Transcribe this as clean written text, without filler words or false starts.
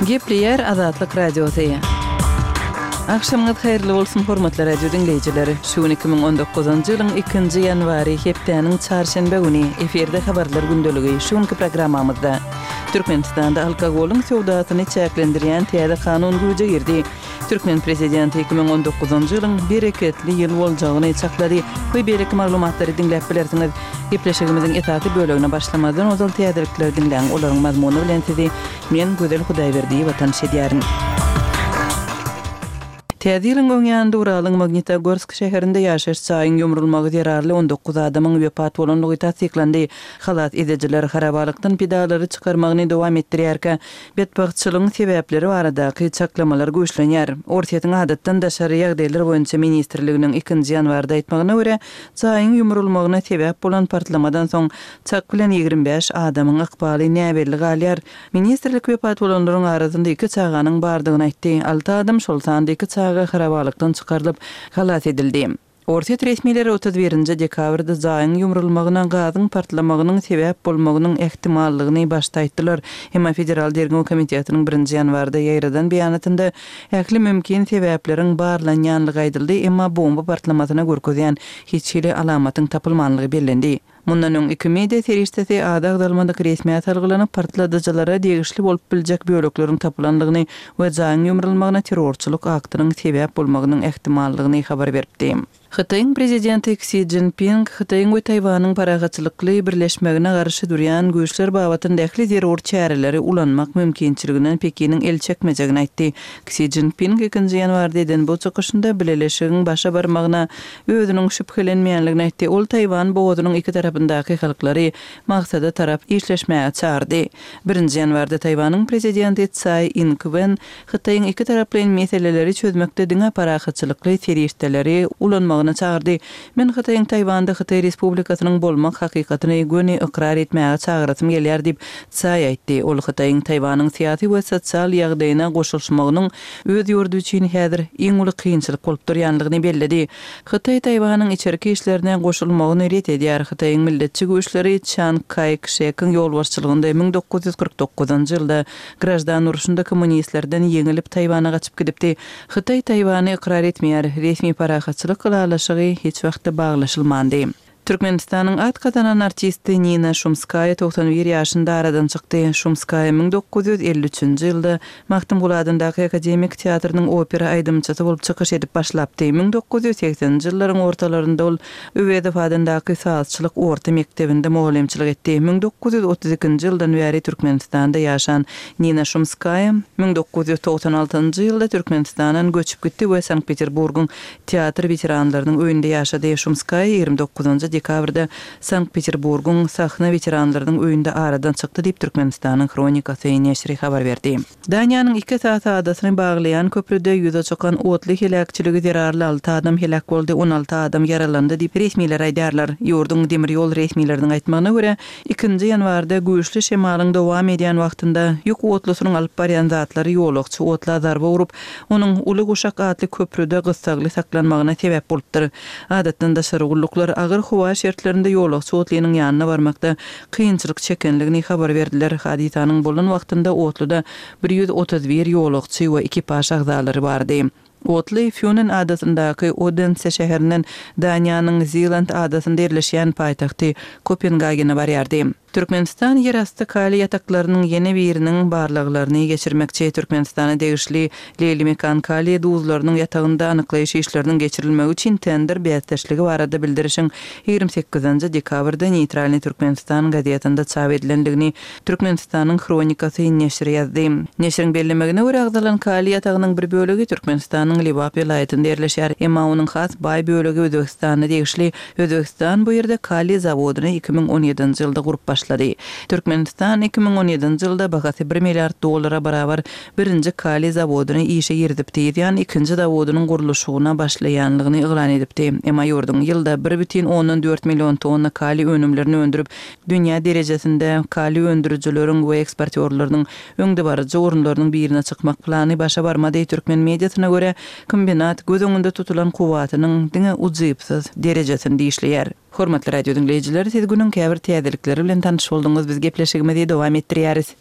Gepleýär Azatlyk Radiosy. Agşamyňyz haýyrly bolsun, hormatly radio diňleýjiler! Şu gün 2019-njy ýylyň ikinji ýanwary, hepdäniň çarşenbe güni, efirde Habarlar gündeligi. Şu günki programmamyzda, Türkmenistanda alkogolyň söwdasyny çäklendirýän täze kanun güýje girdi. Türkmen prezidenti 2019-njy ýylyň bereketli ýyl boljagyny çaklady we beýleki maglumatlary diňläp bilersiňiz. Gepleşigimiziň esasy bölegine başlamazdan ozal täzelikleri diňläň, olaryň mazmuny bilen sizi men, Gözel Hudaýberdiýewa tanyş edýärin. Täze ýylyň öň ýanynda Uralyň Magnitogorsk şäherinde ýaşaýyş jaýyň ýumrulmagy zerarly 19 adamyň wepat bolandygy tassyklandy. Halas edijiler harabalykdan pidalary çykarmagyny dowam etdirýärkä, Betbagtçylygyň sebäpleri baradaky çaklamalar güýçlenýär. Orsýetiň Adatdan daşary ýagdaýlar boýunça ministrliginiň ikinji ýanwarda aýtmagyna görä, jaýyň ýumrulmagyna sebäp bolan partlamadan soň çak bilen 25 adamyň ykbaly näbelli galýar. Ministrlik wepat bolanlaryň arasynda iki çaganyň bardygyny aýtdy. Alty adam, şol sanda iki çaga harabalykdan çykarylyp, halas edildi. Orsýet resmileri 31 nji dekabrda jaýyň ýumrulmagyna gazyň partlamagynyň sebäp bolmagynyň ähtimallygyny başda aýtdylar. Emma Federal derňew komitetiniň birinji ýanwarda ýaýradan beýanatynda ähli mümkin sebäpleriň barlanýanlygy aýdyldy, emma bomba partlamasyna görkezýän hiç hili alamatyň tapylmanlygy bellendi. Mundan öň iki media serişdesi ady agzalmadyk resmä salgylanyp, partladyjylara degişli bolup biljek bölekleriň tapylandygyny we jaýyň ýumrulmagyna terrorçylyk aktynyň sebäp bolmagynyň ähtimallygyny habar beripdi. Hytaýyň prezidenti Ksi Szinpin Hytaýyň we Taýwanyň parahatçylykly birleşmegine garşy durýan güýçler babatynda ähli zerur çäreleri ulanmak mümkinçiliginden Pekiniň el çekmejegini aýtdy. Ksi Szinpin ikinji ýanwarda eden bu çykyşynda bileleşigiň başa barmagyna özüniň şübhelenmeýänligini aýtdy. Ol Taýwan bogazynyň iki tarapyndaky halklary maksada tarap işleşmäge çagyrdy. Birinji ýanwarda Taýwanyň prezidenti Tsaý Ing-wen Hytaýyň ikitaraplaýyn meseleleri çözmekde diňe parahatçylykly serişdeleri ulanmagyna çagyrdy. Men Hytaýyň Taýwanda Hytaý Respublikasynyň bolmak hakykatyny göni ykrar etmäge çagyrasym gelýär diýip, Tsaý aýtdy. Ol Hytaýyň Taýwanyň syýasy we sosial ýagdaýyna goşulyşmagynyň öz ýurdy üçin häzir iň uly kynçylyk bolup durýanlygyny belledi. Hytaý Taýwanyň içerki işlerine goşulmagyny ret edýär. Hytaýyň milletçi güýçleri Çan Kaý Kşekiň ýolbaşçylygynda 1949-njy ýylda graždan urşunda kommunistlerden ýeňilip Taýwana gaçyp gidipdi. Hytaý Taýwany ykrar etmeýär. Resmi parahatçylyk ylalaşygy hiç wagtda baglaşylmandy. Türkmenistanyň at gazanan artisti Nina Şumskaýa 91 ýaşynda aradan çykdy. Şumskaýa 1953-nji ýylda Magtymguly adyndaky akademik teatrynyň opera aýdymçysy bolup çykyş edip başlapdy. 1980-nji ýyllaryň ortalarynda ol Öwezow adyndaky sazçylyk orta mekdebinde mugallymçylyk etdi. 1932-nji ýyldan bäri Türkmenistanda ýaşan Nina Şumskaýa 1996-njy ýylda Türkmenistandan göçüp gitdi we Sankt-Peterburgyň Teatr weteranlarynyň öýünde ýaşady. Şumskaýa 29 dekabrda Sankt-Peterburgyň Sahna weteranlarynyň öýünde aradan çykdy diýip, Türkmenistanyň Hronikasy neşiri habar berdi. Daniýanyň iki esasy adasyny baglaýan köprüde ýüze çykan otly heläkçiligi zerarly alty adam heläk boldy, 16 adam ýaralandy diýip, resmiler aýdýarlar. Ýurduň demir ýol resmileriniň aýtmagyna görä, ikinji ýanwarda güýçli şemalyň dowam edýän wagtynda ýük otlusynyň alyp barýan zatlary ýolagçy otla zarba urup, onuň Uly guşak atly köprüde gyssagly saklanmagyna sebäp bolupdyr. Adatdan daşary gulluklar agyr howa şertlerinde ýolagçy otlynyň ýanyna barmakda kynçylyk çekenligini habar berdiler. Hadysanyň bolan wagtynda otluda 131 ýolagçy we ekipaž agzalary bardy. Otly Fýunen adasyndaky Odense şäherinden Daniýanyň Ziland adasynda ýerleşýän paýtagty Kopengagene barýardy. Türkmenistan ýerasty kaliý ýataklarynyň ýene biriniň barlaglaryny geçirmekçi. Türkmenistana degişli Leýlimekan kaliý duzlarynyň ýatagynda anyklaýyş işleriniň geçirilmegi üçin tender bäsdeşligi barada bildirişiň 28 dekabrda Neýtralnyý Türkmenistan gazetinde çap edilendigini Türkmenistanyň Hronikasy neşiri ýazdy. Neşiriň bellemegine görä, agzalan kaliý ýatagynyň bir bölegi Türkmenistanyň Lebap welaýatynda ýerleşýär, emma onuň has baý bölegi Özbegistana degişli Özbegistan bu ýerde kaliý zawodyny 2017-nji ýylda gurup başlady. Türkmenistan 2017-nji ýylda bahasy bir milliard dollara barabar birinji kaliý zawodyny işe girizipdi, yzýan ikinji zawodynyň gurluşygyna başlaýanlygyny yglan edipdi. Emma ýurduň ýylda bir bütin ondan dört million tonna kaliý önümlerini öndürip, dünýä derejesinde kaliý öndürijileriň we eksportýorlarynyň öňdebaryjy orunlarynyň birine çykmak plany başa barmady. Türkmen mediasyna görä, kombinat göz öňünde tutulan kuwwatynyň diňe ujypsyz derejesinde işleýär. Hormatly radio diňleýjiler, siz günüň käbir täzelikleri bilen tanyş bolduňyz, biz gepleşigimizi dowam etdirýäris.